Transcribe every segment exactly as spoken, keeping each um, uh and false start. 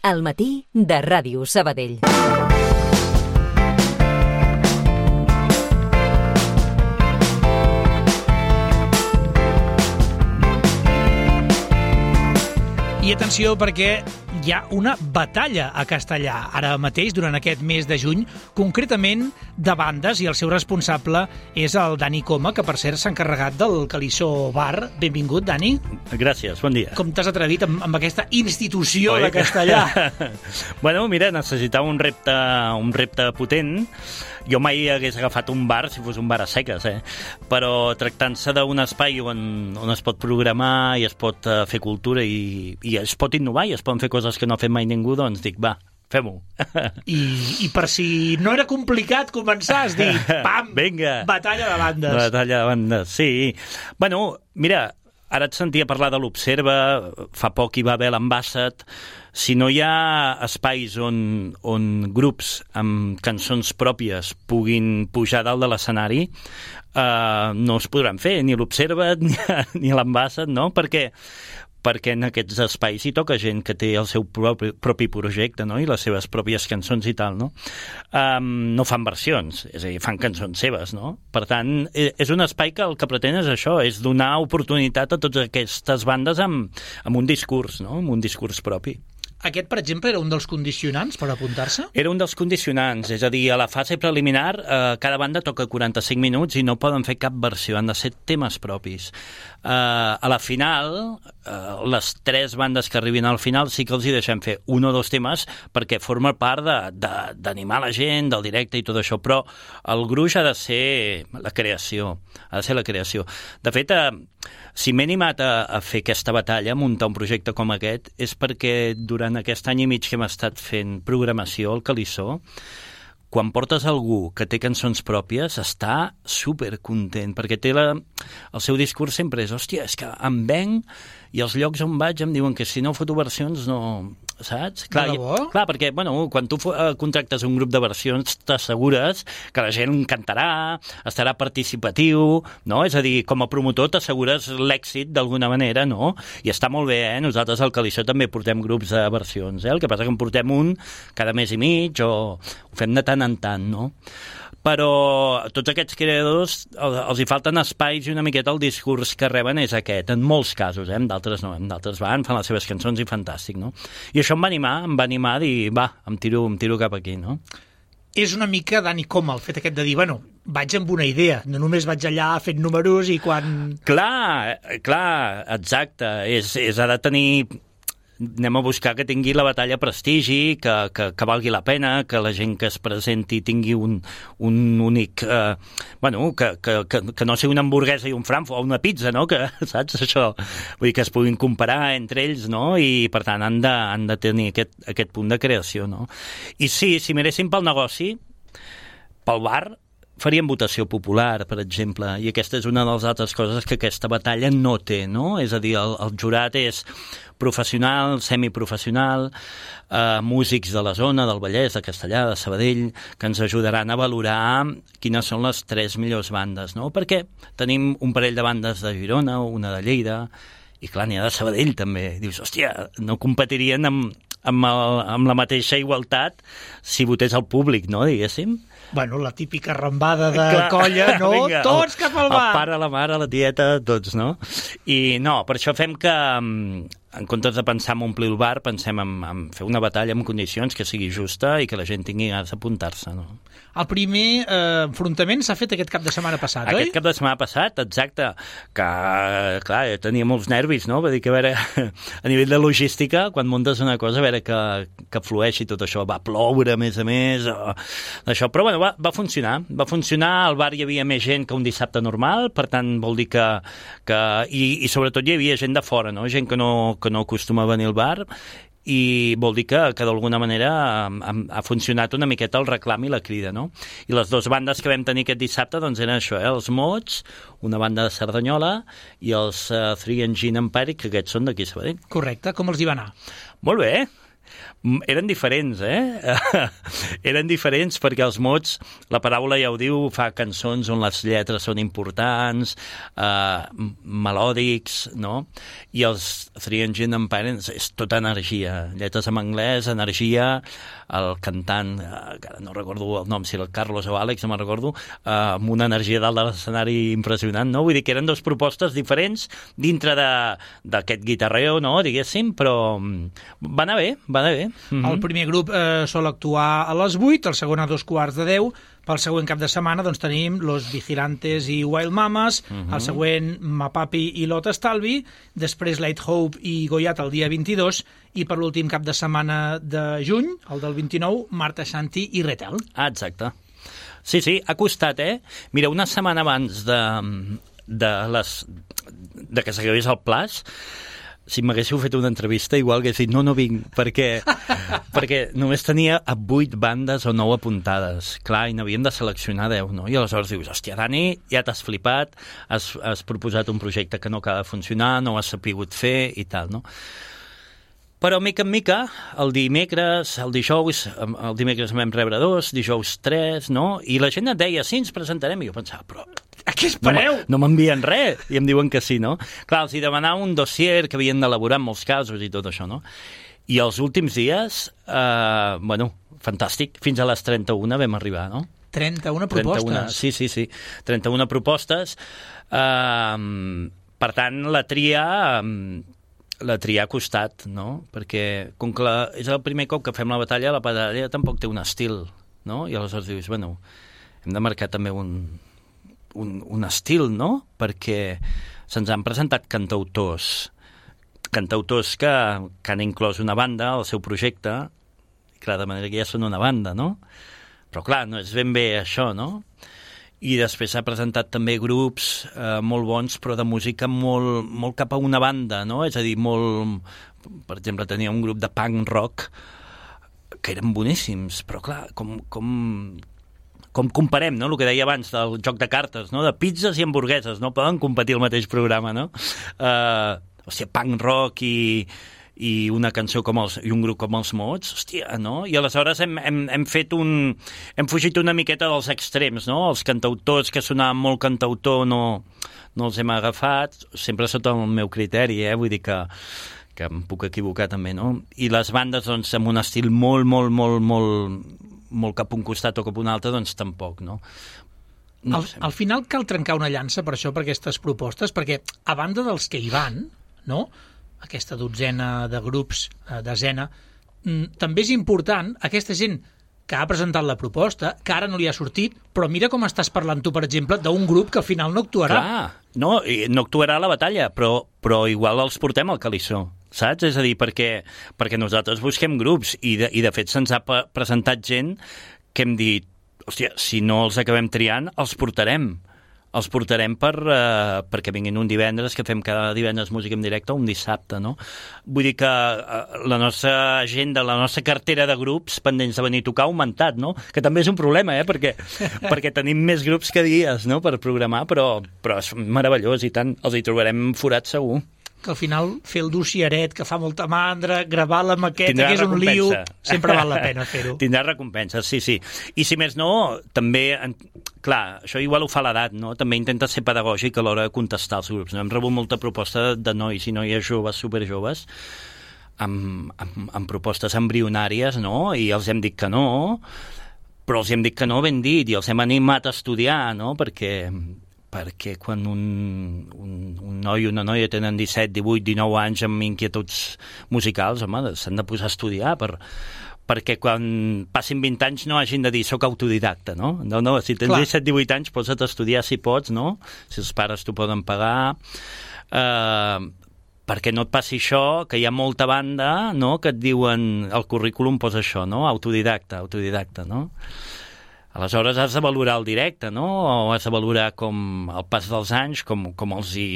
Al matí de Ràdio Sabadell. I atenció, perquè hi ha una batalla a Castellar ara mateix, durant aquest mes de juny, concretament de bandes, i el seu responsable és el Dani Coma, que per cert s'ha encarregat del Calissó Bar. Benvingut, Dani. Gràcies, bon dia. Com t'has atrevit amb, amb aquesta institució Oi? de Castellar? Bueno, mira, necessitava un repte, un repte potent. Jo mai hagués agafat un bar si fos un bar a seques, eh? Però tractant-se d'un espai on, on es pot programar i es pot uh, fer cultura i, i es pot innovar i es poden fer coses que no ha fet mai ningú, doncs dic, va, fem-ho. I, I per si no era complicat començar, has dit, pam, Vinga. batalla de bandes. Batalla de bandes, sí. Bueno, mira, ara et sentia parlar de l'Observa, fa poc hi va haver l'Ambassat. Si no hi ha espais on, on grups amb cançons pròpies puguin pujar dalt de l'escenari, eh, no es podran fer, ni l'Observa ni, ni l'Ambassat, no? Perquè perquè en aquests espais hi toca gent que té el seu propi, propi projecte, no? I les seves pròpies cançons i tal, no? Um, no fan versions, és a dir, fan cançons seves, no? Per tant, és un espai que el que pretén és això, és donar oportunitat a totes aquestes bandes amb, amb un discurs, no? Amb un discurs propi. Aquest, per exemple, era un dels condicionants per apuntar-se? Era un dels condicionants, és a dir, a la fase preliminar eh, cada banda toca quaranta-cinc minuts i no poden fer cap versió, han de ser temes propis. Eh, a la final, eh, les tres bandes que arribin al final sí que els hi deixem fer un o dos temes perquè forma part d'animar la gent, del directe i tot això, però el gruix ha de ser la creació, ha de ser la creació. De fet, eh, si m'he animat a, a fer aquesta batalla, a muntar un projecte com aquest, és perquè durant aquest any i mig que hem estat fent programació al Calissó, quan portes algú que té cançons pròpies, està supercontent, perquè té la, el seu discurs sempre és, hòstia, és que em venc i els llocs on vaig em diuen que si no foto versions no... saps? Clar, i, clar, perquè bueno, quan tu uh, contractes un grup de versions t'assegures que la gent cantarà, estarà participatiu, no? És a dir, com a promotor t'assegures l'èxit d'alguna manera, no? I està molt bé, eh? Nosaltres al Calissó també portem grups de versions, eh? El que passa que en portem un cada mes i mig o ho fem de tant en tant, no? Però a tots aquests creadors els hi falten espais i una miqueta el discurs que reben és aquest, en molts casos, eh? En d'altres no, en d'altres van, fan les seves cançons i fantàstic, no? I això em va animar, em va animar a dir, va, em tiro, em tiro cap aquí, no? És una mica Dani Coma el fet aquest de dir, bueno, vaig amb una idea, no només vaig allà fent números i quan... Clar, clar, exacte, és, és ha de tenir... Anem a buscar que tingui la batalla prestigi, que, que, que valgui la pena, que la gent que es presenti tingui un, un únic... Eh, bueno, que, que, que, que no sigui una hamburguesa i un Frankfurt o una pizza, no? Que, saps, això? Vull dir que es puguin comparar entre ells, no? I, per tant, han de, han de tenir aquest, aquest punt de creació, no? I sí, si miréssim pel negoci, pel bar, farien votació popular, per exemple, i aquesta és una de les altres coses que aquesta batalla no té, no? És a dir, el, el jurat és professional, semiprofessional, eh, músics de la zona, del Vallès, de Castellar, de Sabadell, que ens ajudaran a valorar quines són les tres millors bandes, no? Perquè tenim un parell de bandes de Girona, una de Lleida, i clar, n'hi ha de Sabadell també. Dius, hòstia, no competirien amb, amb, el, amb la mateixa igualtat si votés el públic, no, diguéssim? Bueno, la típica rambada de clar, colla, no? Vinga, tots cap al bar! El pare, la mare, la tieta, tots, no? I no, per això fem que, en comptes de pensar en omplir el bar, pensem en, en fer una batalla en condicions que sigui justa i que la gent tingui ganes d'apuntar-se, no? El primer eh, enfrontament s'ha fet aquest cap de setmana passat, aquest oi? Aquest cap de setmana passat, exacte, que, clar, tenia molts nervis, no? Va dir que, a veure, a nivell de logística, quan muntes una cosa, a veure que, que flueixi tot això, va ploure, a més a més, o, això, però, bueno, va, va funcionar, va funcionar, al bar hi havia més gent que un dissabte normal, per tant, vol dir que, que i, i sobretot hi havia gent de fora, no? Gent que no, que no acostuma a venir al bar, i vol dir que, que d'alguna manera ha, ha funcionat una miqueta el reclam i la crida, no? I les dues bandes que vam tenir aquest dissabte doncs eren això, eh? Els Mots, una banda de Cerdanyola, i els uh, Three Engine Empire, que aquests són d'aquí a Sabadell. Correcte, com els hi va anar? Molt bé. Eren diferents, eh? Eren diferents perquè els mots, la paraula ja ho diu, fa cançons on les lletres són importants, eh, melòdics, no? I els Three Engine Parents és tota energia, lletres en anglès, energia, el cantant, eh, que no recordo el nom, si el Carlos o Àlex, no me'n recordo, eh, amb una energia dalt de l'escenari impressionant, no? Vull dir que eren dues propostes diferents dintre d'aquest guitarreo, no?, diguéssim, però va anar bé, va anar bé. Mm-hmm. El primer grup eh, sol actuar a les vuit, el segon a dos quarts de deu. Pel següent cap de setmana doncs, tenim Los Vigilantes i Wild Mamas, mm-hmm. el següent Mapapi i Lot Estalvi, després Light Hope i Goyat el dia vint-i-dos, i per l'últim cap de setmana de juny, el del vint-i-nou, Marta Shanti i Retel. Ah, exacte. Sí, sí, ha costat, eh? Mira, una setmana abans de, de, les, de que s'acabés el plaç, si m'haguéssiu fet una entrevista, igual hagués dit no, no vinc, perquè, perquè només tenia vuit bandes o nou apuntades. Clar, i n'havíem de seleccionar deu, no? I aleshores dius, hòstia, Dani, ja t'has flipat, has, has proposat un projecte que no acaba de funcionar, no ho has sapigut fer i tal, no? Però, mica en mica, el dimecres, el dijous, el dimecres vam rebre dos, dijous tres, no? I la gent et deia, sí, ens presentarem, i jo pensava, però a què espereu? No m'envien res, i em diuen que sí, no? Clar, els hi demanava un dossier que havien d'elaborar en molts casos i tot això, no? I els últims dies, eh, bueno, fantàstic, fins a les trenta-una vam arribar, no? trenta-una propostes? trenta-una, sí, sí, sí, trenta-una propostes. Eh, per tant, la tria... la tria ha costat, no? Perquè com que la, és el primer cop que fem la batalla, la batalla tampoc té un estil, no? I aleshores dius, bueno, hem de marcar també un, un, un estil, no? Perquè se'ns han presentat cantautors, cantautors que, que han inclòs una banda al seu projecte, i clar, de manera que ja són una banda, no? Però clar, no és ben bé això, no? I després s'ha presentat també grups eh, molt bons, però de música molt, molt cap a una banda, no? És a dir, molt... Per exemple, tenia un grup de punk rock que eren boníssims, però clar, com, com, com comparem, no? El que deia abans del joc de cartes, no? De pizzas i hamburgueses, no? Poden competir el mateix programa, no? Eh, hòstia, punk rock i... i una cançó com els, i un grup com els Mots, hòstia, no? I aleshores hem, hem, hem fet un... hem fugit una miqueta dels extrems, no? Els cantautors que sonaven molt cantautor no, no els hem agafat, sempre sota el meu criteri, eh? Vull dir que, que em puc equivocar també, no? I les bandes, doncs, amb un estil molt, molt, molt, molt, molt cap a un costat o cap a un altre, doncs tampoc, no? No al, al final cal trencar una llança per això, per aquestes propostes, perquè a banda dels que hi van, no?, aquesta dotzena de grups, eh, desena, també és important aquesta gent que ha presentat la proposta, que ara no li ha sortit, però mira com estàs parlant tu, per exemple, d'un grup que al final no actuarà. Clar, no, no actuarà a la batalla, però, però igual els portem al calissó, saps? És a dir, perquè, perquè nosaltres busquem grups i de, i de fet se'ns ha presentat gent que hem dit, hòstia, si no els acabem triant, els portarem. Els portarem per, uh, perquè vinguin un divendres, que fem cada divendres música en directe, o un dissabte, no? Vull dir que uh, la nostra agenda, la nostra cartera de grups pendents de venir a tocar ha augmentat, no? Que també és un problema, eh? Perquè, perquè tenim més grups que dies, no?, per programar, però, però és meravellós, i tant, els hi trobarem forats segur. Que al final fer el dossieret, que fa molta mandra, gravar la maqueta, tindrà que és un lío, recompensa. sempre val la pena fer-ho. Tindrà recompensa, sí, sí. I si més no, també, clar, això igual ho fa l'edat, no? També intenta ser pedagògic a l'hora de contestar als grups. No? Hem rebut molta proposta de nois i noies joves, superjoves, amb, amb, amb propostes embrionàries, no? I els hem dit que no, però els hem dit que no ben dit, i els hem animat a estudiar, no? Perquè... perquè quan un, un, un noi o una noia tenen disset, divuit, dinou anys amb inquietuds musicals, home, s'han de posar a estudiar per, perquè quan passin vint anys no hagin de dir soc autodidacta, no? No, no, si tens disset, divuit anys posa't a estudiar si pots, no? Si els pares t'ho poden pagar, eh, perquè no et passi això, que hi ha molta banda, no?, que et diuen, el currículum posa això, no?, autodidacta, autodidacta, no? Aleshores has de valorar el directe, no? O has de valorar com el pas dels anys, com, com els hi,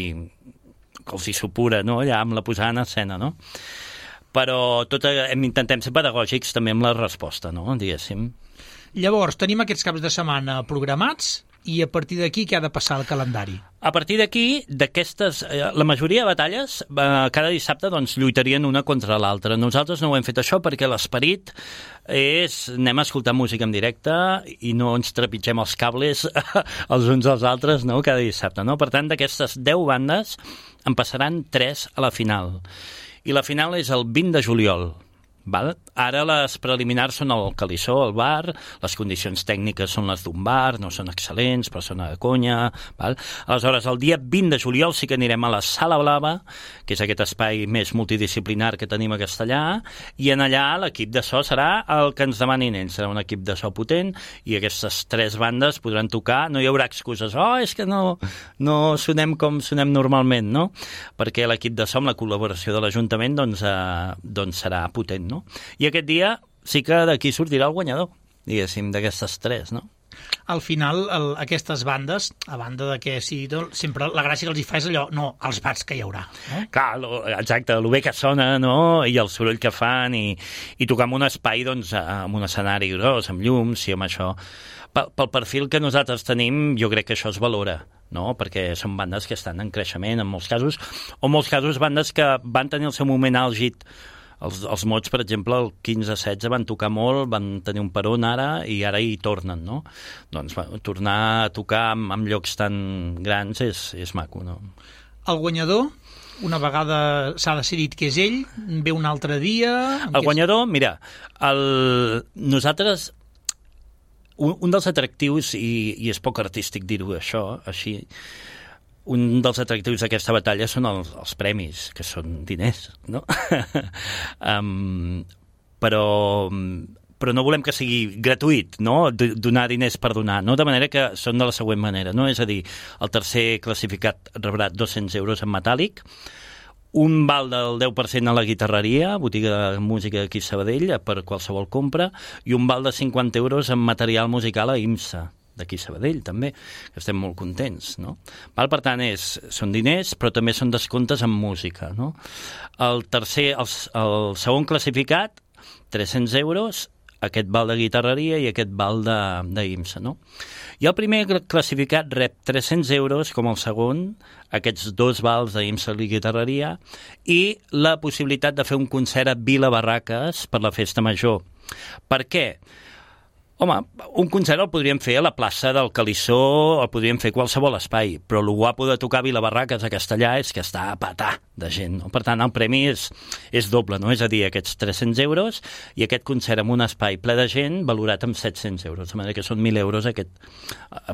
com els hi supura, no?, allà amb la posada en escena, no? Però tot, hem, intentem ser pedagògics també amb la resposta, no?, diguéssim. Llavors, tenim aquests caps de setmana programats, i a partir d'aquí què ha de passar al calendari? A partir d'aquí, d'aquestes, eh, la majoria de batalles, eh, cada dissabte doncs, lluitarien una contra l'altra. Nosaltres no ho hem fet això perquè l'esperit és anem a escoltar música en directe i no ens trepitgem els cables els uns als altres, no?, cada dissabte, no? Per tant, d'aquestes deu bandes en passaran tres a la final. I la final és el vint de juliol. Val? Ara les preliminars són al Calissó, al bar, les condicions tècniques són les d'un bar, no són excel·lents, però són a conya. Val? Aleshores, el dia vint de juliol sí que anirem a la Sala Blava, que és aquest espai més multidisciplinar que tenim a Castellà, i en allà l'equip de so serà el que ens demanin ells. Serà un equip de so potent i aquestes tres bandes podran tocar. No hi haurà excuses. Oh, és que no, no sonem com sonem normalment, no? Perquè l'equip de so amb la col·laboració de l'Ajuntament doncs, eh, doncs serà potent, no? I aquest dia sí que d'aquí sortirà el guanyador, diguéssim, d'aquestes tres, no? Al final, el, aquestes bandes, a banda de que sí, sempre la gràcia que els hi fa és allò, no, els bats que hi haurà. No? Clar, lo, exacte, el bé que sona, no?, i el soroll que fan, i, i tocar en un espai, doncs, amb un escenari gros, amb llums, i amb això. Pel, pel perfil que nosaltres tenim, jo crec que això es valora, no?, perquè són bandes que estan en creixement, en molts casos, o en molts casos bandes que van tenir el seu moment àlgid. Els, els mots, per exemple, el quinze setze van tocar molt, van tenir un peron ara i ara hi tornen, no? Doncs va, tornar a tocar en, en llocs tan grans és, és maco, no? El guanyador, una vegada s'ha decidit que és ell, ve un altre dia... El guanyador, és... mira, el... nosaltres... Un, un dels atractius, i, i és poc artístic dir-ho això, així... Un dels atractius d'aquesta batalla són els, els premis, que són diners, no? um, però, però no volem que sigui gratuït, no?, donar diners per donar, no? De manera que són de la següent manera, no? És a dir, el tercer classificat rebrà dos-cents euros en metàl·lic, un val del deu per cent a la guitarreria, botiga de música aquí a Sabadell, per qualsevol compra, i un val de cinquanta euros en material musical a IMSA, d'aquí a Sabadell, també, que estem molt contents, no? Val, per tant, és, són diners, però també són descomptes en música, no? El tercer, el, el segon classificat, tres-cents euros, aquest val de guitarreria i aquest val d'IMSA, no? I el primer classificat rep tres-cents euros, com el segon, aquests dos vals d'IMSA i guitarreria, i la possibilitat de fer un concert a Vila Barraques per la Festa Major. Per què? Home, un concert el podríem fer a la plaça del Calissó, el podríem fer a qualsevol espai, però el guapo de tocar a Vila Barraques a Castellà és que està a petar de gent, no? Per tant, el premi és, és doble, no? És a dir, aquests tres-cents euros i aquest concert en un espai ple de gent valorat amb set-cents euros, de manera que són mil euros aquest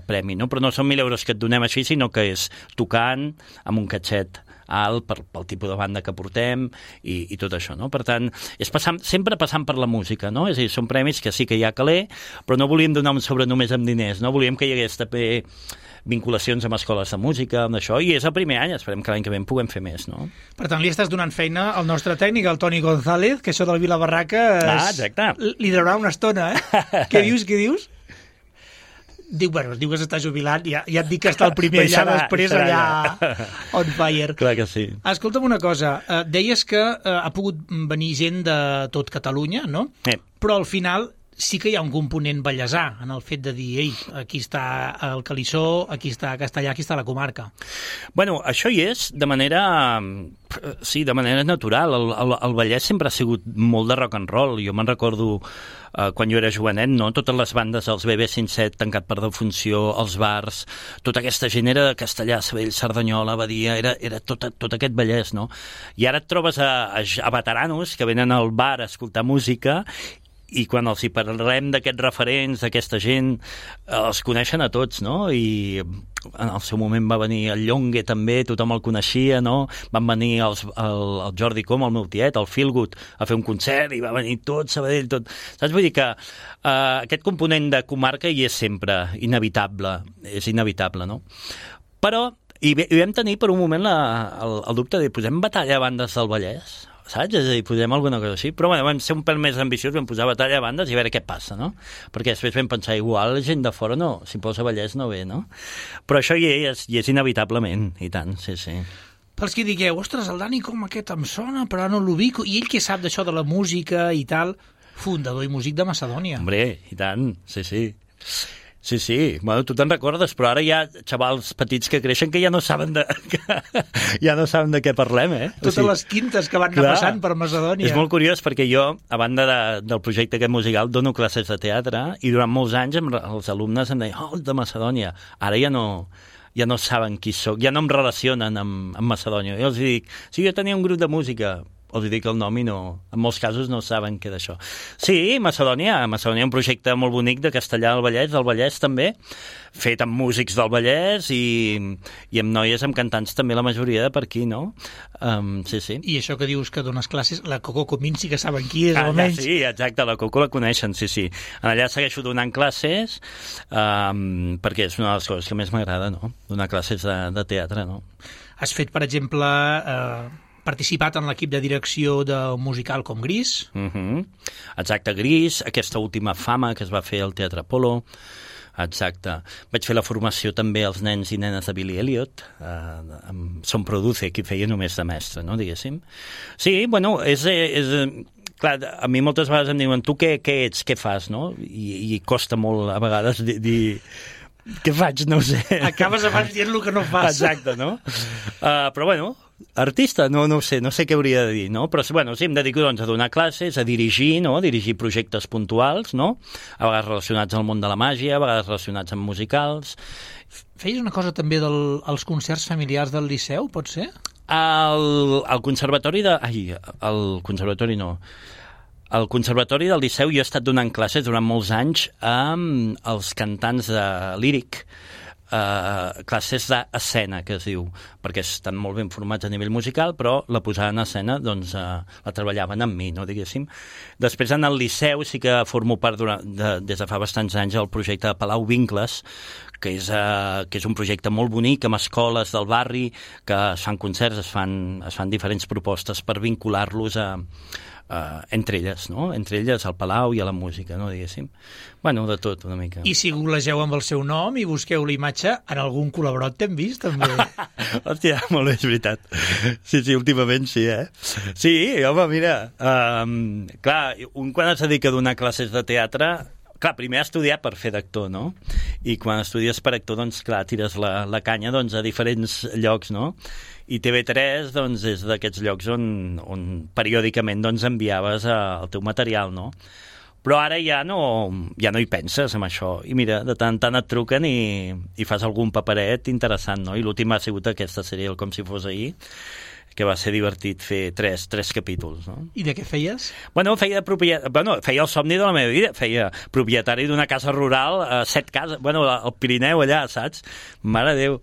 premi, no? Però no són mil euros que et donem així, sinó que és tocant amb un catxet alt per, pel tipus de banda que portem i, i tot això, no? Per tant, és passant, sempre passant per la música, no? És a dir, són premis que sí que hi ha caler, però no volíem donar un sobre només amb diners, no? Volíem que hi hagués també vinculacions amb escoles de música, amb això, i és el primer any, esperem que l'any que ve en puguem fer més, no? Per tant, li estàs donant feina al nostre tècnic, el Toni González, que això del Vila Barraques ah, exacte. Li durarà una estona, eh? Què dius, què dius? Diu, bueno, diu que s'està jubilant, ja, ja et dic que està el primer allà, serà, després serà allà on fire. Clar que sí. Escolta'm una cosa, eh, deies que eh, ha pogut venir gent de tot Catalunya, no? Eh. Però al final sí que hi ha un component ballesà en el fet de dir, ei, aquí està el Calissó, aquí està Castellà, aquí està la comarca. Bueno, això hi és de manera... Sí, de manera natural. El, el, el Vallès sempre ha sigut molt de rock and roll. Jo me'n recordo eh, quan jo era jovenet, no? Totes les bandes, els B B cinc set, Tancat per defunció, els bars, tota aquesta gent era de Castellà, Sabadell, Cerdanyola, Badia, era, era tot, tot aquest Vallès, no? I ara et trobes a, a, a veteranos que venen al bar a escoltar música i quan els hi parlem d'aquests referents, d'aquesta gent, els coneixen a tots, no? I en el seu moment va venir el Llongue també, tothom el coneixia, no? Van venir els, el, el Jordi Com, el meu tiet, el Feelgood, a fer un concert i va venir tot Sabadell, tot... Saps? Vull dir que uh, aquest component de comarca hi és sempre inevitable, és inevitable, no? Però i, i vam tenir per un moment la, el, el dubte de posem batalla a bandes del Vallès, saps? És a dir, posem alguna cosa així. Però bueno, vam ser un pèl més ambiciós, vam posar batalla a bandes i a veure què passa, no? Perquè després vam pensar, igual gent de fora no, si posa Vallès no ve, no? Però això hi és, hi és inevitablement, i tant, sí, sí. Pels que digueu, ostres, el Dani com aquest em sona, però no l'ubico, i ell què sap d'això de la música i tal, fundador i músic de Macedònia. Hombre, i tant, sí, sí. Sí, sí, bueno, tu te'n recordes, però ara hi ha xavals petits que creixen que ja no saben de, que, ja no saben de què parlem, eh? Totes o sigui, les quintes que van anar clar, passant per Macedònia. És molt curiós perquè jo, a banda de, del projecte aquest musical, dono classes de teatre i durant molts anys em, els alumnes em deien, oh, de Macedònia. Ara ja no, ja no saben qui sóc, ja no em relacionen amb, amb Macedònia. Jo els dic, sí, jo tenia un grup de música, els dic el nom i no, en molts casos no saben què d'això. Sí, Macedònia, Macedònia un projecte molt bonic de Castellar del Vallès, del Vallès també, fet amb músics del Vallès i, i amb noies, amb cantants també la majoria de per aquí, no? Um, sí, sí. I això que dius que dones classes, la Coco Comín sí que saben qui és, ah, almenys. Sí, exacte, la Coco la coneixen, sí, sí. Allà segueixo donant classes um, perquè és una de les coses que més m'agrada, no? Donar classes de, de teatre, no? Has fet, per exemple... Eh... participat en l'equip de direcció d'un musical com Gris. Uh-huh. Exacte, Gris, aquesta última Fama que es va fer al Teatre Apolo. Exacte. Vaig fer la formació també als nens i nenes de Billy Elliot, eh, amb Son Produce, que feia només de mestre, no, diguéssim. Sí, bueno, és... és clar, a mi moltes vegades em diuen, tu què, què ets, què fas, no? I, i costa molt a vegades dir... dir què faig? No ho sé. Acabes abans dient el que no fas. Exacte, no? Uh, però bueno, artista, no, no ho sé, no sé què hauria de dir, no? Però bueno, sí, em dedico doncs, a donar classes, a dirigir, no? A dirigir projectes puntuals, no? A vegades relacionats al món de la màgia, a vegades relacionats amb musicals. Feies una cosa també dels de, concerts familiars del Liceu, pot ser? El, el conservatori de... Ai, el conservatori no... Al Conservatori del Liceu jo he estat donant classes durant molts anys amb els cantants de líric, eh, classes d'escena, que es diu, perquè estan molt ben formats a nivell musical, però la posada en escena doncs, eh, la treballaven amb mi, no, diguéssim. Després, en el Liceu, sí que formo part durant, de, des de fa bastants anys del projecte de Palau Vincles, que és, eh, que és un projecte molt bonic amb escoles del barri, que es fan concerts, es fan, es fan diferents propostes per vincular-los a Uh, entre elles, no? Entre elles al Palau i a la música, no, diguéssim. Bueno, de tot, una mica. I si googlegeu amb el seu nom i busqueu la imatge, en algun col·laborat t'hem vist, també. Hòstia, molt bé, és veritat. Sí, sí, últimament sí, eh? Sí, home, mira, um, clar, un quan es dedica a donar classes de teatre, clar, primer estudiar per fer d'actor, no? I quan estudies per actor, doncs, clar, tires la, la canya doncs, a diferents llocs, no? I T V tres doncs, és d'aquests llocs on, on periòdicament doncs, enviaves a, el teu material, no? Però ara ja no, ja no hi penses en això. I mira, de tant en tant et truquen i, i fas algun paperet interessant, no? I l'últim ha sigut aquesta sèrie, el Com si fos ahir, que va ser divertit fer tres, tres capítols, no? I de què feies? Bueno, feia, propiet... bueno, feia el somni de la meva vida, feia propietari d'una casa rural, a set cases, bueno, al Pirineu allà, saps? Mare de Déu.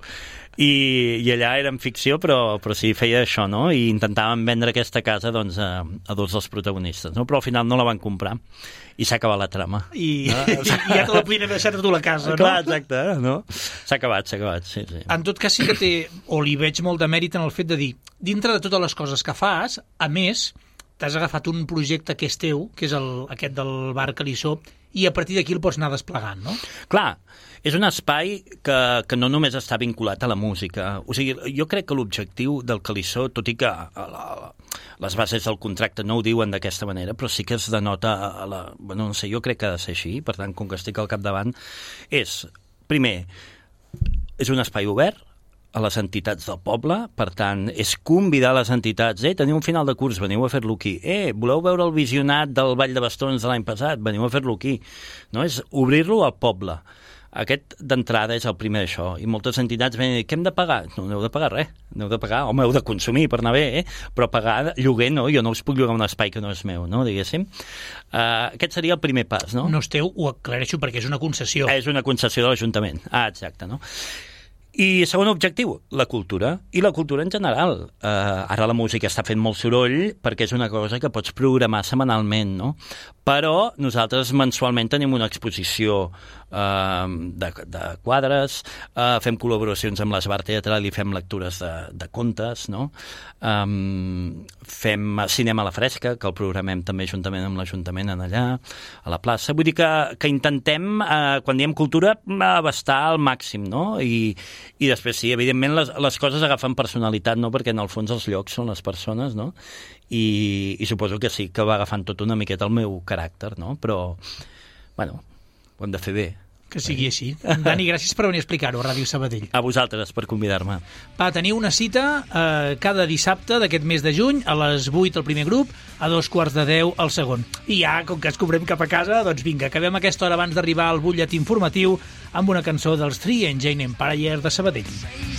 I, i allà era en ficció, però, però sí, feia això, no? I intentàvem vendre aquesta casa doncs, a, a dos dels protagonistes, no? Però al final no la van comprar i s'ha acabat la trama. I, no? I ja te la podien haver deixat a tu la casa, no? Clar, exacte, no? S'ha acabat, s'ha acabat, sí, sí. En tot cas sí que té, o li veig molt de mèrit en el fet de dir, dintre de totes les coses que fas, a més, t'has agafat un projecte que és teu, que és el, aquest del Bar Calissó, i a partir d'aquí el pots anar desplegant, no? Clar, és un espai que, que no només està vinculat a la música. O sigui, jo crec que l'objectiu del Calissó, tot i que a la, les bases del contracte no ho diuen d'aquesta manera, però sí que es denota a la... Bueno, no sé, jo crec que ha de ser així, per tant, com que estic al capdavant, és, primer, és un espai obert a les entitats del poble, per tant, és convidar les entitats, eh, teniu un final de curs, veniu a fer-lo aquí, eh, voleu veure el visionat del Ball de Bastons de l'any passat, veniu a fer-lo aquí, no? És obrir-lo al poble. Aquest d'entrada és el primer d'això, i moltes entitats venen a dir, què hem de pagar? No, no heu de pagar res, no heu de pagar, home, heu de consumir per anar bé, eh? Però pagar lloguer no, jo no us puc llogar un espai que no és meu, no, diguéssim. Uh, aquest seria el primer pas, no? No és teu, ho aclareixo perquè és una concessió. És una concessió de l'Ajuntament, ah, exacte, no? I segon objectiu, la cultura, i la cultura en general. Uh, ara la música està fent molt soroll perquè és una cosa que pots programar setmanalment, no? Però nosaltres mensualment tenim una exposició uh, de, de quadres, uh, fem col·laboracions amb l'Esbar Teatral i fem lectures de, de contes, no? Um, fem cinema a la fresca, que el programem també juntament amb l'Ajuntament en allà, a la plaça. Vull dir que, que intentem, uh, quan diem cultura, abastar al màxim, no? I, i després sí, evidentment les, les coses agafen personalitat, no? Perquè en el fons els llocs són les persones, no? I, i suposo que sí que va agafant tot una miqueta el meu caràcter, no? Però, bueno, ho hem de fer bé. Que sigui així. Dani, gràcies per venir a explicar-ho a Ràdio Sabadell. A vosaltres per convidar-me. Va, teniu una cita eh, cada dissabte d'aquest mes de juny, a les vuit el primer grup, a dos quarts de deu el segon. I ja, com que ens cobrem cap a casa, doncs vinga, acabem aquesta hora abans d'arribar al butlletí informatiu amb una cançó dels Three Engine Empire de Sabadell.